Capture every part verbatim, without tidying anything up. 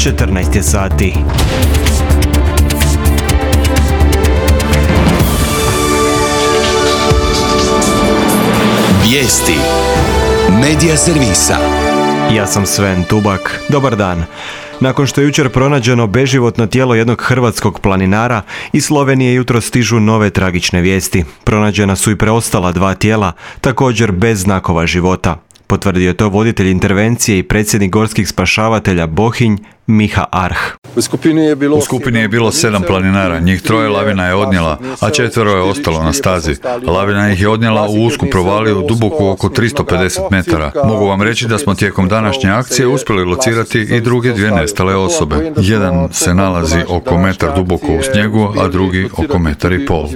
četrnaest je sati. Vijesti Medija servisa. Ja sam Sven Tubak. Dobar dan. Nakon što je jučer pronađeno beživotno tijelo jednog hrvatskog planinara, iz Slovenije jutro stižu nove tragične vijesti. Pronađena su i preostala dva tijela, također bez znakova života. Potvrdio je to voditelj intervencije i predsjednik gorskih spašavatelja Bohinj, Miha Arh. U skupini je bilo, U skupini je bilo sedam planinara, njih troje lavina je odnijela, a četvero je ostalo na stazi. Lavina ih je odnijela u usku provaliju duboku oko tristo pedeset metara. Mogu vam reći da smo tijekom današnje akcije uspjeli locirati i druge dvije nestale osobe. Jedan se nalazi oko metar duboko u snijegu, a drugi oko metar i pol.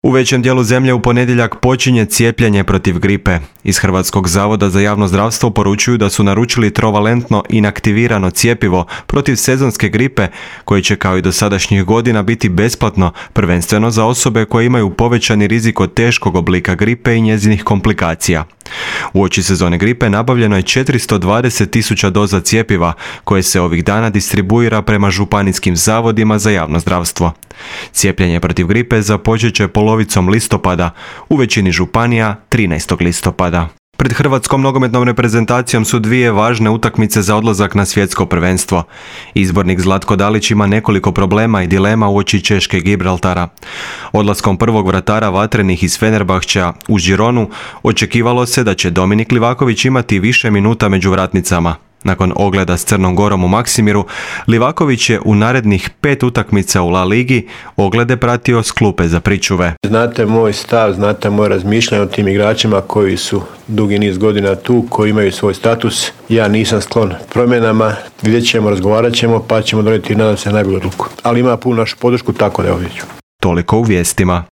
U većem dijelu zemlje u ponedjeljak počinje cijepljenje protiv gripe. Iz Hrvatskog zavoda za javno zdravstvo poručuju da su naručili trovalentno inaktivirano cjepivo protiv sezonske gripe, koje će kao i do sadašnjih godina biti besplatno, prvenstveno za osobe koje imaju povećani rizik od teškog oblika gripe i njezinih komplikacija. Uoči sezone gripe nabavljeno je četiristo dvadeset tisuća doza cjepiva, koje se ovih dana distribuira prema županijskim zavodima za javno zdravstvo. Cijepljenje protiv gripe započet će polovicom listopada, u većini županija trinaestog listopada. Pred hrvatskom nogometnom reprezentacijom su dvije važne utakmice za odlazak na svjetsko prvenstvo. Izbornik Zlatko Dalić ima nekoliko problema i dilema uoči Češke Gibraltara. Odlaskom prvog vratara Vatrenih iz Fenerbahčea u Gironu očekivalo se da će Dominik Livaković imati više minuta među vratnicama. Nakon ogleda s Crnom Gorom u Maksimiru, Livaković je u narednih pet utakmica u La Ligi oglede pratio s klupe za pričuve. Znate moj stav, znate moje razmišljanje o tim igračima koji su dugi niz godina tu, koji imaju svoj status. Ja nisam sklon promjenama, vidjet ćemo, razgovarat ćemo, pa ćemo donijeti, nadam se, najbolju odluku. Ali ima punu našu podršku, tako da je ovdje. Toliko u vijestima.